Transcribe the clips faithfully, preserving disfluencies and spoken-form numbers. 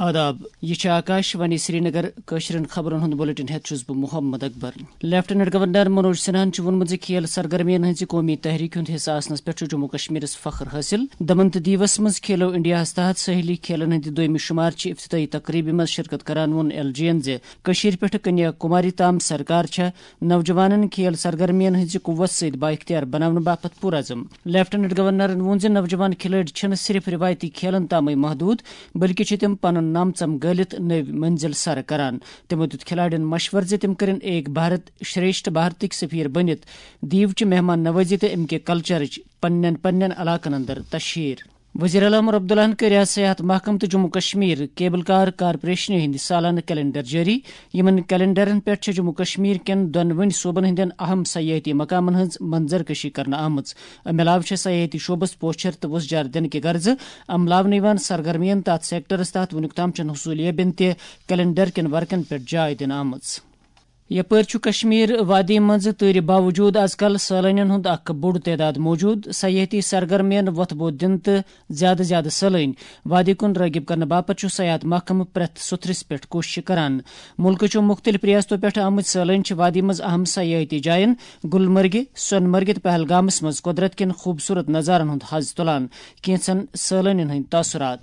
آداب، یہِ چھِ آکاش وانی سرینگر۔ کٲشرٮ۪ن خبرن ہُنٛد بُلٹن ہٮ۪تھ چھُس بہٕ محمد اکبر۔ لیفٹیننٹ گورنر منوج سنہاہن چھُ ووٚنمُت زِ کھیل سرگرمین ہٕنٛزِ قومی تحریک ہُنٛد حصہٕ آسنس پٮ۪ٹھ چھُ جموں کشمیرس فخر حٲصِل۔ دمن تہٕ دیوس منٛز کھیلو انڈیاہس تحت ساحلی کھیلن ہٕنٛدِ دوٚیمہِ شُمارچہِ افتتاحی تقریبہِ منٛز شرکت کران ووٚن ایل جی یَن زِ کٔشیٖرِ پٮ۪ٹھٕ کنیا کُماری تام سرکار چھےٚ نوجوانن کھیل سرگرمین ہٕنٛزِ قوت سۭتۍ بااختیار بناونہٕ باپتھ پُرعزم۔ لیفٹیننٹ گورنرن ووٚن زِ نوجوان کھلٲڑۍ چھِنہٕ صرف رِوایتی کھیلن تامٕے محدوٗد، بلکہِ چھِ تِم پنُن نام ژم گٲلِتھ نٔوۍ منزل سر کران۔ تِمو دیُت کھلاڑٮ۪ن مشورٕ زِ تِم کٔرِن ایک بھارت شریشٹھ بھارتٕکۍ سفیر بٔنِتھ دیوچہِ مہمان نوازی تہٕ امہِ کہِ کلچرٕچ پننٮ۪ن پننٮ۪ن علاقن اندر تشہیر۔ وزیر اعلیٰ عمر عبداللہن کٔر آز سیاحت محکمہٕ تہٕ جموں کشمیر کیبل کار کارپوریشنہِ ہٕنٛدِ سالانہٕ کیلنڈر جٲری۔ یِمن کیلنڈرن پٮ۪ٹھ چھِ جموں کشمیر کٮ۪ن دۄنوٕنی صوبن ہٕنٛدٮ۪ن اہم سیاحتی مقامن ہٕنٛز منظر کشی کرنہٕ آمٕژ۔ امہِ علاوٕ چھےٚ سیاحتی شعبس پوچھر تہٕ وُژھ جار دِنہٕ کہِ غرضہٕ عملاونہٕ یِوان سرگرمین تہٕ اتھ سیکٹرس تحت وُنیُک تام چٮ۪ن حصوٗلیابین تہِ کیلنڈر کٮ۪ن ورقن پٮ۪ٹھ جاے دِنہٕ آمٕژ۔ یپٲرۍ چھُ کشمیر وادی منٛز تۭرِ باوجود از کل سٲلٲنین ہُنٛد اکھ بوٚڑ تعداد موجود۔ سیاحتی سرگرمین وۄتھٕ بوٚد دِنہٕ تہٕ زیادٕ زیادٕ سٲلٲنۍ وادی کُن رٲغب کرنہٕ باپتھ چھُ سیاحت محکمہٕ پرٛٮ۪تھ سُتھرِس پٮ۪ٹھ کوٗششہٕ کران۔ مُلکہٕ چٮ۪و مُختٔلِف ریاستو پٮ۪ٹھ آمٕتۍ سٲلٲنۍ چھِ وادی منٛز اہم سیاحتی جاین گلمرگہِ، سۄنہٕ مرگہِ تہٕ پہلگامس منٛز قۄدرت کٮ۪ن خوٗبصوٗرت نظارن ہُنٛد حظ تُلان۔ کینٛژن سٲلٲنین ہٕنٛدۍ تاثرات۔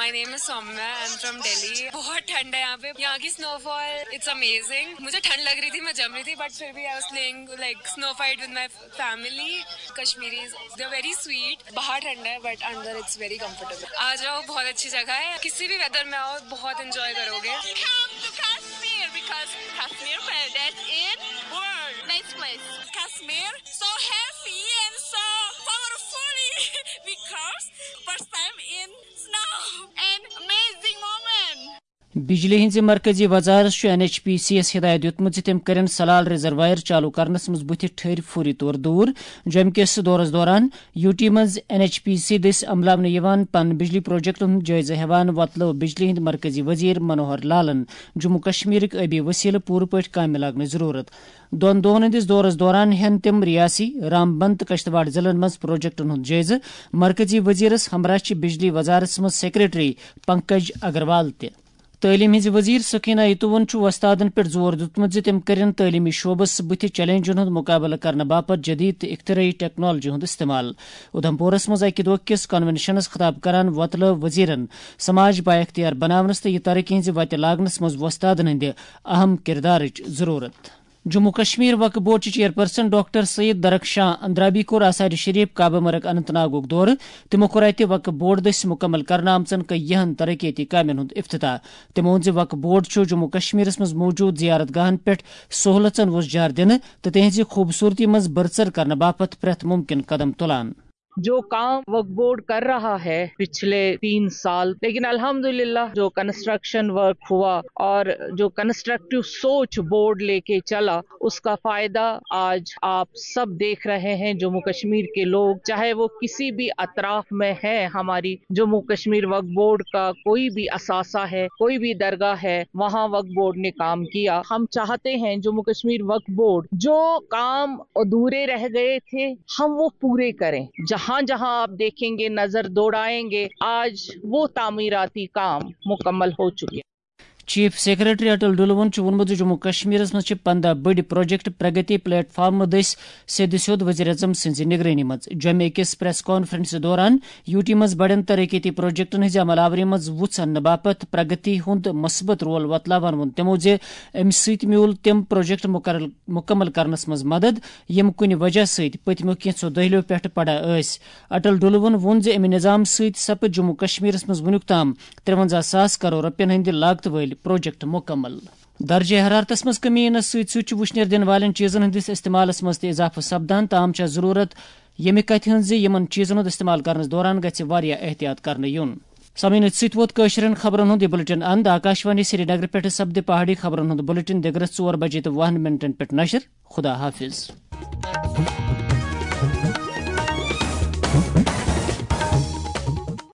My name is Soumya. I'm from Delhi. बहुत ठंड है यहाँ पे। यहाँ की स्नोफॉल, it's amazing. मुझे ठंड लग रही थी, मैं जम रही थी, but फिर भी I was playing like snow fight with my family. Kashmiris, they're very sweet. बाहर ठंडा है, but अंदर it's very comfortable. आ जाओ, बहुत अच्छी जगह है। किसी भी वेदर में आओ, बहुत एंजॉय करोगे। Come to Kashmir because Kashmir paradise in world. Nice place. Kashmir, so happy and so powerfully because first time in snow and amazing moment. بجلی ہٕنٛزِ مرکزی وزارت چھُ این ایچ پی سی یَس ہدایت دیُتمُت زِ تِم کٔرِن سلال ریزروائر چالو کرنس منٛز بُتھِ ٹھٔرۍ فوری طور دوٗر۔ جوٚمہِ کِس دورس دوران یوٗ ٹی منٛز این ایچ پی سی دٔسۍ عملاونہٕ یِوان پن بجلی پروجیکٹن ہُنٛد جٲیزٕ ہٮ۪وان وۄتلٲو بجلی ہٕنٛدۍ مرکزی وزیر منوہر لالن جموں کشمیرٕکۍ ٲبی وسیلہٕ پوٗرٕ پٲٹھۍ کامہِ لاگنٕچ ضروٗرت۔ دۄن دۄہن ہٕنٛدِس دورس دوران ہٮ۪ن تِم ریاسی، رامبند تہٕ کشتواڑ ضلعن منٛز پروجیکٹن ہُنٛد جٲیزٕ۔ مرکزی وزیرس ہمراہ چھِ بجلی وزارتس منٛز سیکرٹری پنکج اگروال تہِ۔ تعلیٖم ہٕنٛزِ وزیر سکینہ اتوون چھُ وۄستادن پٮ۪ٹھ زور دیُتمُت زِ تِم کٔرِن تعلیٖمی شعبس بُتھِ چیلنجن ہُنٛد مُقابلہٕ کرنہٕ باپتھ جدید تہٕ اختراعی ٹیکنالوجی ہُنٛد استعمال۔ اُدھمپورس منٛز اکہِ دۄہ کِس کنونشنس خطاب کران وۄتلٲو وزیرن سماج بااختیار بناونس تہٕ یہِ ترقی ہٕنٛزِ وتہِ لاگنس منٛز وۄستادن ہٕنٛدِ اہم کردارٕچ ضروٗرت۔ جموں کشمیر وقف بورڈ چہِ چیئرپرسن ڈاکٹر سید درخشاں اندرابی کوٚر آثار شریف کعبہ مرگ اننت ناگُک دورٕ۔ تِمو کوٚر اتہِ وقف بورڈ دٔسۍ مُکمل کرنہٕ آمژن کینٛہَن ترقیتی کامٮ۪ن ہُنٛد افتتاح۔ تِمو ووٚن زِ وقف بورڈ چھُ جموں کشمیرس منٛز موجود زیارت گاہن پٮ۪ٹھ سہولژن وُژھ جار دِنہٕ تہٕ تِہنٛزِ خوٗبصوٗرتی منٛز بٔڑژر کرنہٕ باپتھ پرٛٮ۪تھ مُمکِن قدم تُلان۔ جو کام وقف بورڈ کر رہا ہے پچھلے تین سال، لیکن الحمدللہ جو کنسٹرکشن ورک ہوا اور جو کنسٹرکٹیو سوچ بورڈ لے کے چلا، اس کا فائدہ آج آپ سب دیکھ رہے ہیں۔ جموں کشمیر کے لوگ، چاہے وہ کسی بھی اطراف میں ہے، ہماری جموں کشمیر وقف بورڈ کا کوئی بھی اثاثہ ہے، کوئی بھی درگاہ ہے، وہاں وقف بورڈ نے کام کیا۔ ہم چاہتے ہیں جموں کشمیر وقف بورڈ جو کام ادھورے رہ گئے تھے، ہم وہ پورے کریں۔ جہاں جہاں آپ دیکھیں گے، نظر دوڑائیں گے، آج وہ تعمیراتی کام مکمل ہو چکے۔ چیف سیکرٹری اٹل ڈلون چھُ ووٚنمُت زِ جموں کشمیرس منٛز چھِ پنٛداہ بٔڑۍ پروجیکٹ پرگتی پلیٹ فارم دٔسۍ سیٚدِ سیوٚد وزیر اعظم سٕنٛزِ نگرٲنی منٛز۔ جوٚمہِ أکِس پریس کانفرنسہِ دوران یوٗ ٹی منٛز بڑٮ۪ن ترقیتی پروجیکٹن ہٕنٛزِ عمل آوری منٛز وُژھ اننہٕ باپتھ پرگتی ہُنٛد مثبت رول وۄتلاوان ووٚن تِمو زِ امہِ سۭتۍ میوٗل تِم پروجیکٹ مُکر-، مُکمل کرنس منٛز مدد، یِم کُنہِ وجہ سۭتۍ پٔتمیو کینٛژھو دٔہلِیو پٮ۪ٹھٕ پڑا ٲسۍ۔ اٹل ڈلون ووٚن زِ امہِ نظام سۭتۍ سپٕدۍ جموں کشمیرس منٛز وُنیُک تام ترٛوَنزاہ ساس کرور رۄپین ہٕنٛدِ لاگتہٕ وٲلۍ پروجیکٹ مُکمل۔ درجہ حرارتس منٛز کمی یِنس سۭتۍ سۭتۍ چھُ وُشنیر دِنہٕ والٮ۪ن چیٖزن ہٕنٛدِس استعمالس منٛز تہِ اضافہٕ سپدان۔ تام چھےٚ ضروٗرت ییٚمہِ کتھِ ہٕنٛز زِ یِمن چیٖزن ہُنٛد استعمال کرنس دوران گژھِ واریاہ احتیاط کرنہٕ یُن۔ سامعیٖن، أتھۍ سۭتۍ ووت کٲشرٮ۪ن خبرن ہُنٛد یہِ بُلٹن اند۔ آکاشوانی سرینگر پٮ۪ٹھٕ سپدِ پہاڑی خبرن ہُنٛد بُلٹن دِگرس ژور بجے تہٕ وُہن منٹن پٮ۪ٹھ نشر۔ خدا حافظ۔